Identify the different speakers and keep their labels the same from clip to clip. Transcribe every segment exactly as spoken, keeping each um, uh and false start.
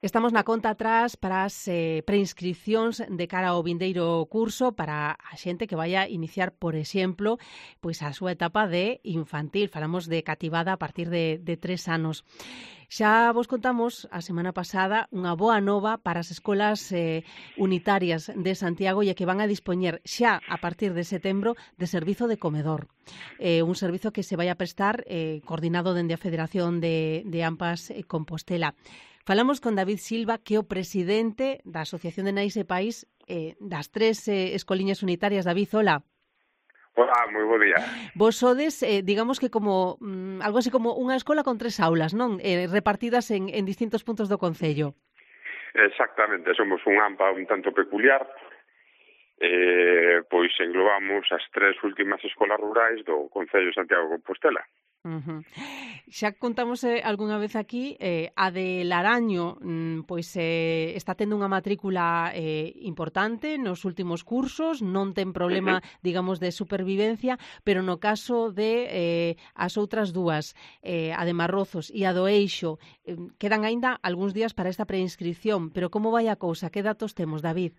Speaker 1: Estamos na conta atrás para as eh, preinscripcións de cara ao vindeiro curso para a xente que vai a iniciar, por exemplo, pois a súa etapa de infantil. Falamos de cativada a partir de, de tres anos. Xa vos contamos a semana pasada unha boa nova para as escolas eh, unitarias de Santiago e que van a dispoñer xa a partir de setembro de servizo de comedor. Eh, un servizo que se vai a prestar eh, coordinado dende a Federación de, de AMPAs eh, Compostela. Falamos con David Silva, que é o presidente da Asociación de Nais e Pais eh, das tres eh, escoliñas unitarias. David, hola.
Speaker 2: Hola, moi bo día.
Speaker 1: Vos sodes, eh, digamos que como mm, algo así como unha escola con tres aulas, non? Eh, repartidas en, en distintos puntos do concello.
Speaker 2: Exactamente, somos un AMPA un tanto peculiar, eh, pois englobamos as tres últimas escolas rurais do Concello de Santiago de Compostela.
Speaker 1: Uh-huh. Xa contamos eh, algunha vez aquí eh, a de Laraño mm, pois eh, está tendo unha matrícula eh, importante nos últimos cursos, non ten problema, uh-huh. digamos, de supervivencia, pero no caso de eh, as outras dúas, eh, a de Marrozos e a do Eixo, eh, quedan aínda algúns días para esta preinscripción, pero como vai a cousa? Que datos temos, David?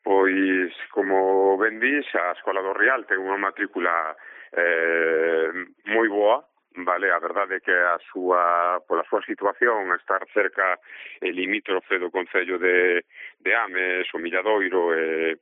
Speaker 2: Pois, como ben dís, a Escola do Real ten unha matrícula eh, moi boa, vale? A verdade é que a súa, pola súa situación, a estar cerca e limítrofe do Concello de, de Ames, o Milladoiro, e,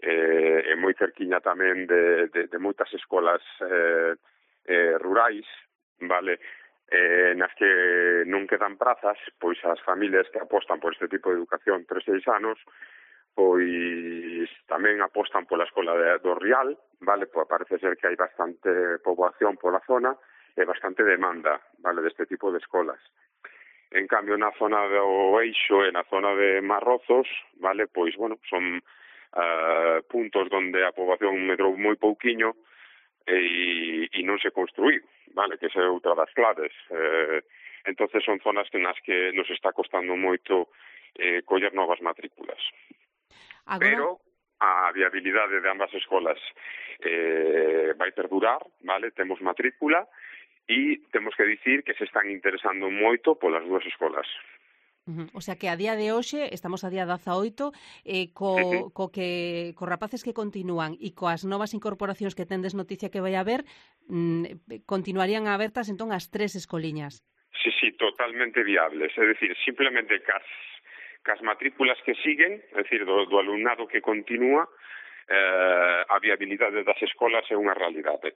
Speaker 2: e, e moi cerquiña tamén de, de, de moitas escolas eh, eh, rurais, vale? Eh, nas que non quedan prazas, pois as familias que apostan por este tipo de educación tres seis anos, pois tamén apostan pola escola de, do Rial, vale? Pois parece ser que hai bastante poboación pola zona e bastante demanda, vale, deste tipo de escolas. En cambio, na zona do Eixo e na zona de Marrozos, vale, pois, bueno, son uh, puntos onde a poboación medrou moi pouquiño e, e non se construíu, vale, que esa é outra das claves. Eh, entonces son zonas nas que nos está costando moito eh, coller novas matrículas. Agora... Pero a viabilidade de ambas escolas eh, vai perdurar, vale? Temos matrícula e temos que dicir que se están interesando moito polas dúas escolas.
Speaker 1: Uh-huh. O sea que a día de hoxe, estamos a día dezaoito, eh, co, uh-huh. co que co rapaces que continúan e coas novas incorporacións que tendes noticia que vai haber, mm, continuarían abertas entón as tres escoliñas.
Speaker 2: Sí, sí, totalmente viables. É dicir, simplemente cas cas matrículas que siguen, é dicir, do, do alumnado que continúa, eh, a viabilidade das escolas é unha realidade.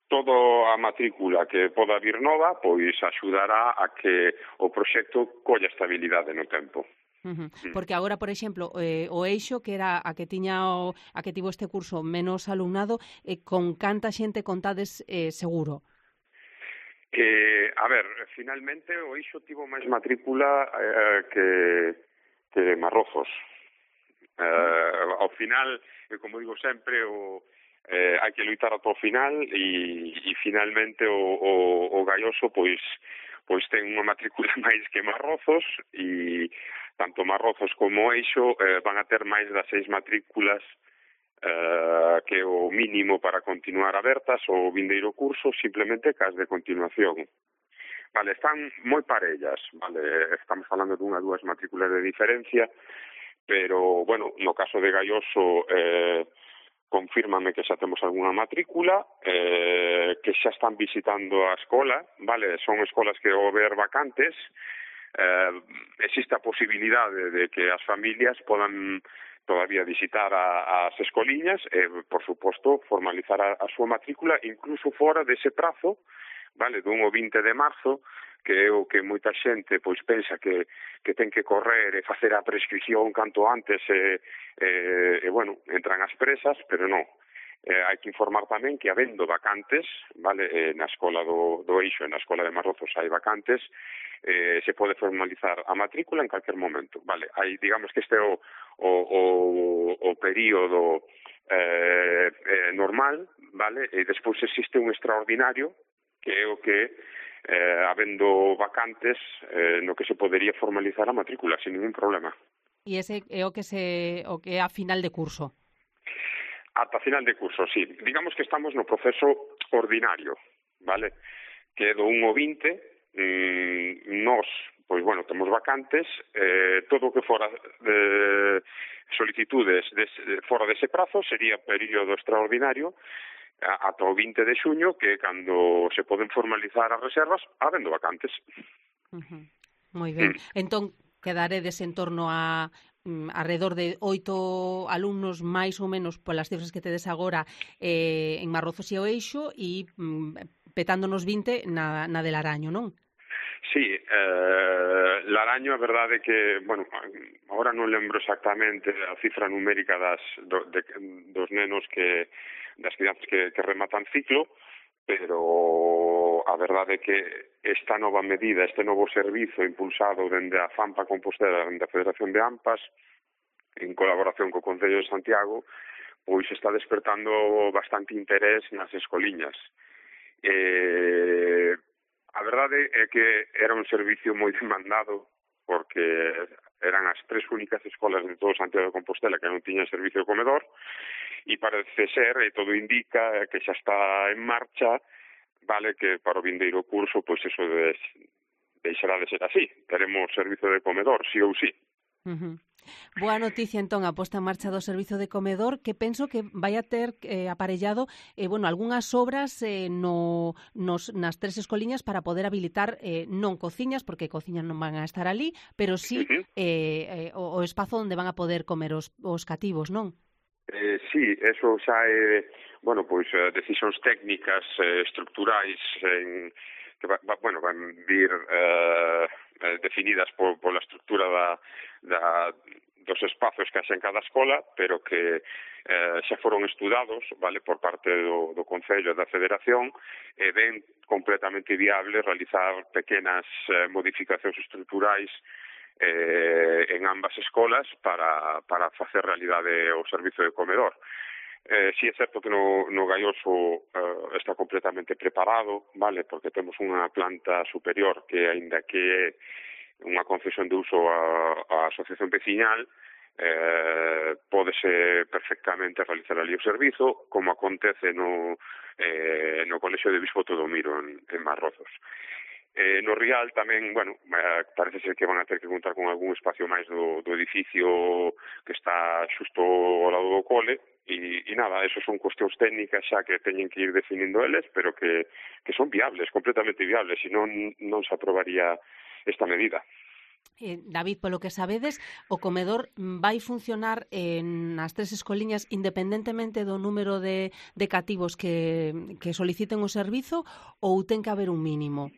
Speaker 2: Todo a matrícula que poda vir nova, pois axudará a que o proxecto colla estabilidade no tempo.
Speaker 1: Uh-huh. Porque agora, por exemplo, eh, o Eixo, que era a que tiña o, a que tivo este curso menos alumnado, eh, con canta xente contades eh, seguro?
Speaker 2: Que, a ver, finalmente o Eixo tivo máis matrícula eh, que que Marrozos. Eh, ao final, como digo sempre, o, eh, hai que loitar ata o final e, e finalmente o, o, o Gaioso pois, pois ten unha matrícula máis que Marrozos e tanto Marrozos como Eixo eh, van a ter máis das seis matrículas eh, que é o mínimo para continuar abertas o vindeiro curso, simplemente cas de continuación. Vale, están moi parellas, vale, estamos falando dunha dúas matrículas de diferencia, pero, bueno, no caso de Gaioso, eh, confírmame que xa temos algunha matrícula, eh, que xa están visitando a escola, vale, son escolas que ao ver vacantes, eh, existe a posibilidade de que as familias podan todavía visitar a, as escoliñas e, por suposto, formalizar a, a súa matrícula incluso fora dese prazo, vale, dun o vinte de marzo, que é o que moita xente pois pensa que, que ten que correr e facer a prescripción canto antes e, e, e bueno, entran as presas, pero non. Eh, hai que informar tamén que habendo vacantes, vale, eh, na escola do, do Eixo e na escola de Marrozos hai vacantes, eh, se pode formalizar a matrícula en calquer momento, vale. Hai, digamos que este é o, o, o, o período eh, eh, normal, vale, e despois existe un extraordinario que é o que, eh, habendo vacantes, eh, no que se podería formalizar a matrícula, sin ningún problema.
Speaker 1: E ese é o que se o que é a final de curso?
Speaker 2: Ata final de curso, sí. Digamos que estamos no proceso ordinario, vale? Que do un ao vinte, mmm, nos, pois, bueno, temos vacantes, eh, todo o que fora de solicitudes des, fora dese prazo sería período extraordinario ata o vinte de xuño, que é cando se poden formalizar as reservas habendo vacantes.
Speaker 1: Uh-huh. Moi ben. Mm. Entón, quedaredes en torno a mm, alrededor de oito alumnos máis ou menos polas cifras que tedes agora eh, en Marrozos e Oeixo e mm, petándonos vinte na, na de Laraño, non?
Speaker 2: Sí, eh, Laraño, a verdade é que, bueno, agora non lembro exactamente a cifra numérica das, do, de, dos nenos que, das crianzas que, que rematan ciclo, pero a verdade é que esta nova medida, este novo servizo impulsado dende a FAMPA Compostela, dende a Federación de AMPAs, en colaboración co Concello de Santiago, pois está despertando bastante interés nas escoliñas. Eh, A verdade é que era un servicio moi demandado porque eran as tres únicas escolas de todo Santiago de Compostela que non tiñan servicio de comedor e parece ser, e todo indica, que xa está en marcha, vale, que para o vindeiro curso, pois eso de, deixará de ser así. Teremos servicio de comedor, sí ou sí.
Speaker 1: Uh-huh. Boa noticia, entón, a posta en marcha do servizo de comedor, que penso que vai a ter eh, aparellado eh, bueno, algunhas obras eh, no, nos, nas tres escoliñas para poder habilitar eh, non cociñas, porque cociñas non van a estar ali, pero sí
Speaker 2: Uh-huh.
Speaker 1: eh, eh, o, o espazo onde van a poder comer os, os cativos, non?
Speaker 2: Eh, sí, eso xa é, bueno, pois decisións técnicas, eh, estructurais, en, que va, va, bueno, van vir eh, definidas por, por la estructura da, da, dos espazos que haxa en cada escola, pero que eh, xa foron estudados, vale, por parte do, do Concello e da Federación, e ven completamente viable realizar pequenas eh, modificacións estructurais eh, en ambas escolas para, para facer realidade o servizo de comedor. Eh, si é certo que no, no Gaioso eh, está completamente preparado, vale, porque temos unha planta superior que, aínda que é unha concesión de uso a, a asociación veciñal, eh, pódese perfectamente realizar ali o servizo, como acontece no, eh, no Colexio de Bispo Todomiro en, en Marrozos. Eh, no Rial tamén, bueno, eh, parece ser que van a ter que contar con algún espacio máis do, do edificio que está xusto ao lado do cole, e, e nada, eso son cuestións técnicas xa que teñen que ir definindo eles, pero que, que son viables, completamente viables, e non, non se aprobaría esta medida.
Speaker 1: Eh, David, polo que sabedes, o comedor vai funcionar en as tres escoliñas independentemente do número de, de cativos que, que soliciten o servizo, ou ten que haber un mínimo?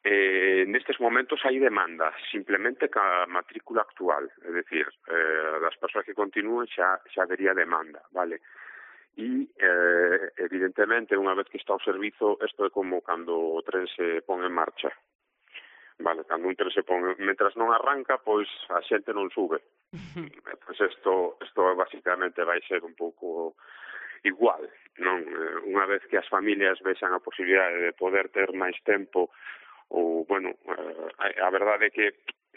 Speaker 2: Eh, nestes momentos hai demanda, simplemente ca matrícula actual, é dicir, eh, das persoas que continúen xa, xa habería demanda, vale? E, eh, evidentemente, unha vez que está o servizo, isto é como cando o tren se pon en marcha, vale? Cando un tren se pon, mentras non arranca, pois a xente non sube. Pois isto, isto basicamente vai ser un pouco igual, non? Unha vez que as familias vexan a posibilidade de poder ter máis tempo, ou, bueno, eh, a verdade é que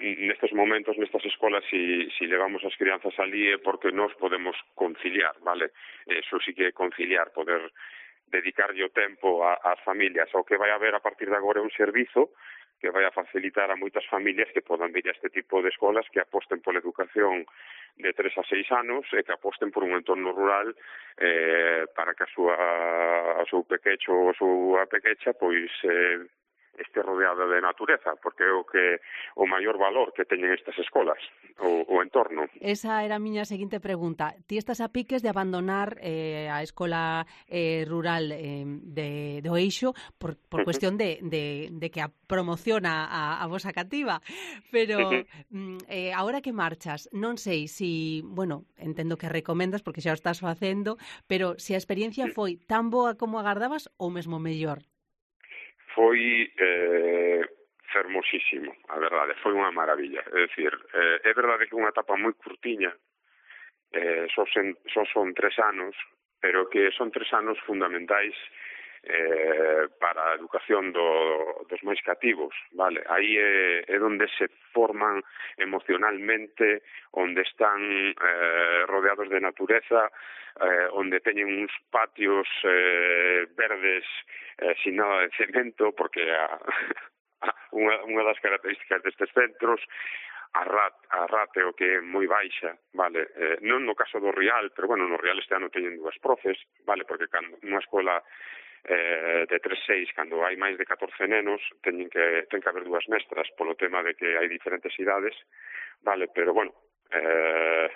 Speaker 2: nestes momentos, nestas escolas, si, si levamos as crianzas ali é porque nós podemos conciliar, vale? Eso sí que é conciliar, poder dedicarlle o tempo ás familias. O que vai haber a partir de agora é un servizo que vai a facilitar a moitas familias que podan vir a este tipo de escolas, que aposten pola educación de tres a seis anos e que aposten por un entorno rural eh, para que a súa a seu pequecho ou a súa pequecha pois eh, este rodeado de natureza, porque é o que o maior valor que teñen estas escolas, o, o entorno.
Speaker 1: Esa era a miña seguinte pregunta. Ti estás a piques de abandonar eh, a escola eh, rural eh, de, de Oeixo por, por uh-huh. cuestión de, de, de que a promociona a, a vosa cativa, pero uh-huh. eh, ahora que marchas, non sei si, bueno, entendo que recomendas porque xa o estás facendo, pero se a experiencia foi tan boa como agardabas ou mesmo mellor?
Speaker 2: Foi eh, fermosísimo, a verdade, foi unha maravilla. É dicir, eh, é verdade que é unha etapa moi curtiña, eh, só, sen, só son tres anos, pero que son tres anos fundamentais eh, para a educación do, dos máis cativos, vale? Aí é, é onde se forman emocionalmente, onde están eh, rodeados de natureza, eh, onde teñen uns patios eh, verdes eh, sin nada de cemento, porque a, unha, unha das características destes centros, a, rat, a rateo que é moi baixa, vale, eh, non no caso do Rial, pero bueno, no Rial este ano teñen dúas profes, vale, porque cando unha escola eh, de tres seis, cando hai máis de catorce nenos, teñen que, ten que haber dúas mestras, polo tema de que hai diferentes idades, vale, pero bueno, eh,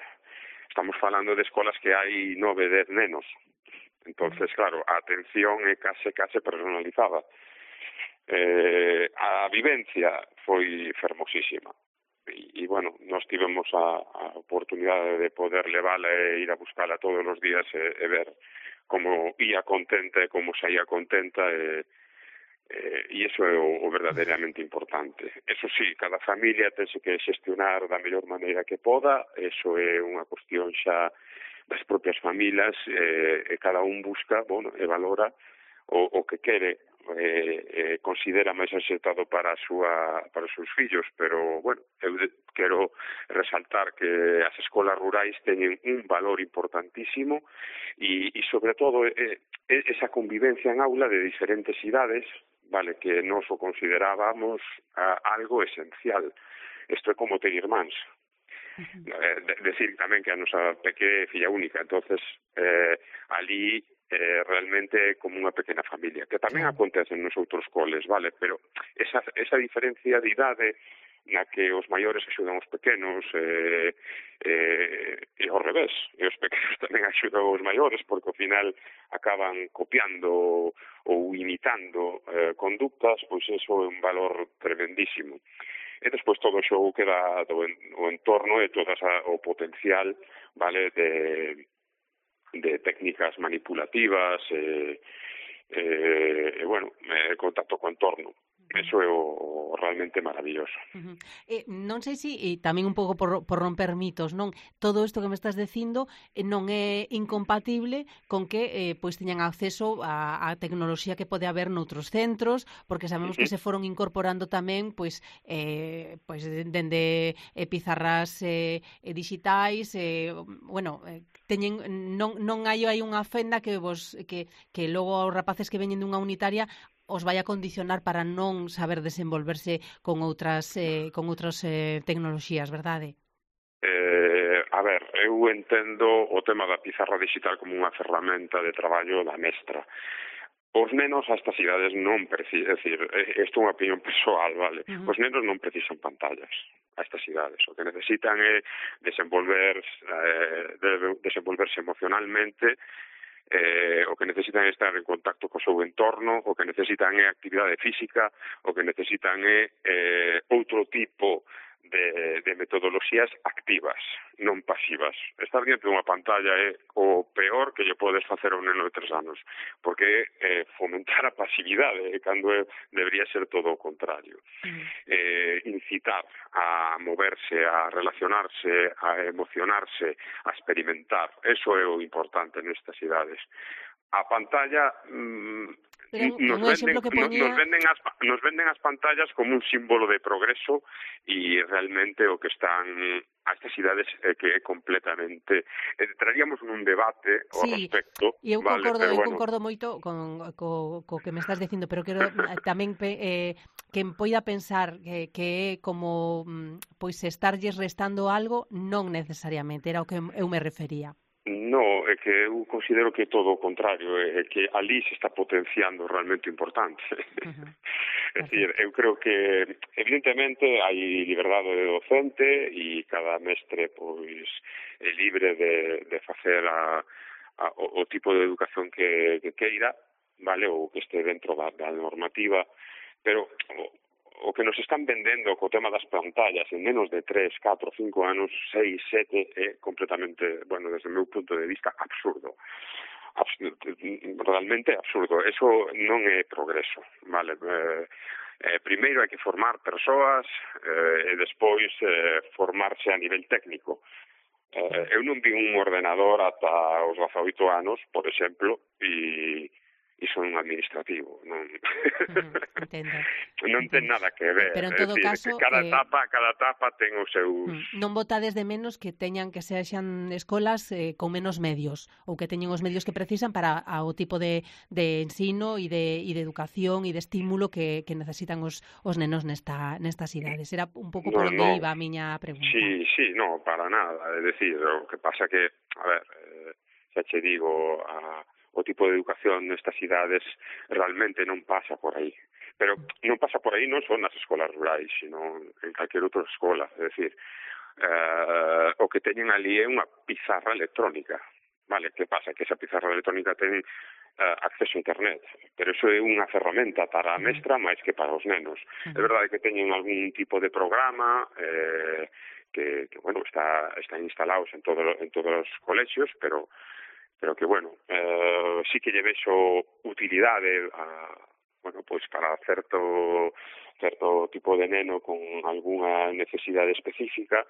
Speaker 2: estamos falando de escolas que hai nove, dez nenos, entonces, claro, a atención é case, case personalizada. Eh, a vivencia foi fermosísima. E, e bueno, nós tivemos a, a oportunidade de poder levala e ir a buscala todos os días e, e ver como ia contenta e como saía contenta e, e, e iso é o, o verdadeiramente importante. Eso sí, cada familia tense que xestionar da mellor maneira que poda, eso é unha cuestión xa das propias familias e, e cada un busca, bueno, e valora o, o que quere eh, eh, considera máis acertado para a súa para os seus fillos, pero bueno, eu de, quero resaltar que as escolas rurais teñen un valor importantísimo e, e sobre todo eh, esa convivencia en aula de diferentes idades, vale, que nós o considerábamos ah, algo esencial. Isto é como ter irmáns. Uh-huh. Eh, de, decir tamén que a nosa peque é filla única, entonces eh, ali eh, realmente é como unha pequena familia, que tamén claro. Acontece nos outros coles, vale, pero esa, esa diferencia de idade na que os maiores axudan os pequenos eh, eh, e ao revés, e os pequenos tamén axudan os maiores porque ao final acaban copiando ou imitando eh, conductas, pois eso é un valor tremendísimo. E despois todo o xogo que dá do en, o entorno e todo esa, o potencial, vale, de de técnicas manipulativas e, e, e bueno, eh, contacto co entorno. Eso é o realmente maravilloso.
Speaker 1: Uh-huh. Eh, non sei se, e tamén un pouco por, por romper mitos, non? Todo isto que me estás dicindo eh, non é incompatible con que eh, pois teñan acceso a, a tecnoloxía que pode haber noutros centros, porque sabemos uh-huh. que se foron incorporando tamén pois eh, pois dende eh, pizarras eh, digitais, eh, bueno, eh, teñen non non hai aí unha fenda que vos que que logo aos rapaces que veñen dunha unitaria os vai a condicionar para non saber desenvolverse con outras eh, con outras eh, tecnoloxías, verdade?
Speaker 2: Eh, a ver, eu entendo o tema da pizarra digital como unha ferramenta de traballo da mestra. Os nenos a estas idades non precisan, é dicir, isto é unha opinión persoal, vale? Uh-huh. Os nenos non precisan pantallas a estas idades. O que necesitan é desenvolver, eh, de, desenvolverse emocionalmente. Eh, o que necesitan é estar en contacto co seu entorno, o que necesitan é actividade física, o que necesitan é eh, outro tipo de, de metodoloxías activas, non pasivas. Estar diante dunha pantalla é o peor que lle podes facer a un neno de tres anos, porque é eh, fomentar a pasividade, cando é, debería ser todo o contrario. Mm. Eh, incitar a moverse, a relacionarse, a emocionarse, a experimentar, eso é o importante nestas idades. A pantalla mmm,
Speaker 1: Pero,
Speaker 2: nos, venden,
Speaker 1: que ponía...
Speaker 2: nos, venden as, nos venden as pantallas como un símbolo de progreso e realmente o que están a estas idades é que é completamente... Eh, traríamos un debate ao
Speaker 1: sí,
Speaker 2: respecto.
Speaker 1: E eu
Speaker 2: vale,
Speaker 1: concordo,
Speaker 2: pero
Speaker 1: eu
Speaker 2: bueno.
Speaker 1: concordo moito con co, co que me estás dicindo, pero quero tamén eh, que poida pensar que, que é como pois estarlles restando algo, non necesariamente, era o que eu me refería.
Speaker 2: No, é que eu considero que todo o contrario, é que ali se está potenciando realmente importante. Uh-huh. É dicir, eu creo que evidentemente hai liberdade de docente e cada mestre pois é libre de, de facer a, a, o, o tipo de educación que, que queira, vale, ou que este dentro da, da normativa, pero o que nos están vendendo co tema das pantallas en menos de tres, catro, cinco anos, seis, sete, é completamente, bueno, desde o meu punto de vista, absurdo. Absurdo, realmente absurdo. Eso non é progreso, vale? Eh, eh, primeiro hai que formar persoas eh, e despois eh, formarse a nivel técnico. Eh, eu non vi un ordenador ata os dezaoito anos, por exemplo, e iso é un administrativo, non
Speaker 1: Uh-huh, entendo.
Speaker 2: non ten nada que ver.
Speaker 1: Pero en
Speaker 2: É
Speaker 1: todo
Speaker 2: dicir,
Speaker 1: caso,
Speaker 2: que cada
Speaker 1: eh,
Speaker 2: etapa, cada etapa ten os seus...
Speaker 1: non botades de menos que teñan que sexan escolas eh, con menos medios ou que teñen os medios que precisan para a, o tipo de, de ensino e de, e de educación e de estímulo que, que necesitan os, os nenos nesta, nestas idades. Era un pouco
Speaker 2: No,
Speaker 1: por onde
Speaker 2: no.
Speaker 1: iba a miña pregunta.
Speaker 2: Sí, sí, no, para nada. É dicir, o que pasa que, a ver, eh, xa che digo, a, o tipo de educación nestas idades realmente non pasa por aí. Pero non pasa por aí non son nas escolas rurais, sino en calquer outra escola. É dicir, eh, o que teñen ali é unha pizarra electrónica. Vale, que pasa? Que esa pizarra electrónica ten uh, acceso a internet, pero iso é unha ferramenta para a mestra máis que para os nenos. É verdade que teñen algún tipo de programa eh, que, que bueno, está, están instalados en, todo, en todos os colexios, pero pero que, bueno, eh, sí que lle vexo utilidade a, bueno, pois para certo certo tipo de neno con algunha necesidade específica,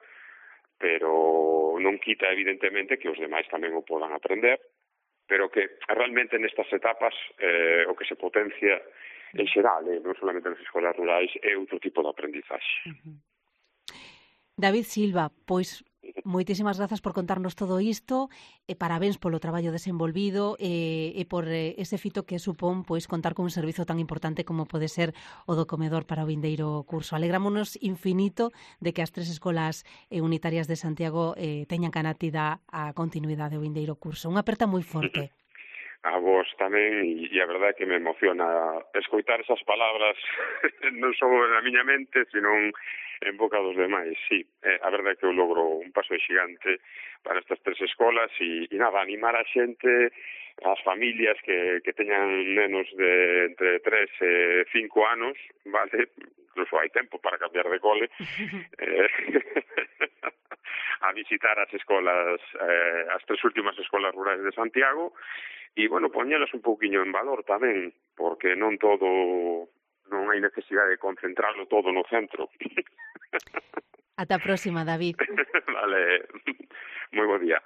Speaker 2: pero non quita evidentemente que os demais tamén o podan aprender, pero que realmente nestas etapas eh, o que se potencia en xeral, eh, non solamente nas escolas rurais, é outro tipo de aprendizaxe.
Speaker 1: Uh-huh. David Silva, pois moitísimas grazas por contarnos todo isto e parabéns polo traballo desenvolvido e, e por eh, ese fito que supón pois contar con un servizo tan importante como pode ser o do comedor para o vindeiro curso. Alegrámonos infinito de que as tres escolas eh, unitarias de Santiago eh, teñan canatida a continuidade do vindeiro curso. Unha aperta moi forte.
Speaker 2: A vos tamén, e, e a verdade é que me emociona escoitar esas palabras non só na miña mente, sino en boca dos demais. Sí, eh, a verdade é que eu logro un paso xigante para estas tres escolas e, e nada, animar a xente, as familias que, que teñan nenos de entre tres e cinco anos, vale, incluso hai tempo para cambiar de cole, eh, a visitar as escolas, eh, as tres últimas escolas rurais de Santiago, e, bueno, poñelas un pouquiño en valor tamén, porque non todo, non hai necesidade de concentrarlo todo no centro.
Speaker 1: Ata a próxima, David.
Speaker 2: Vale, moi bo día.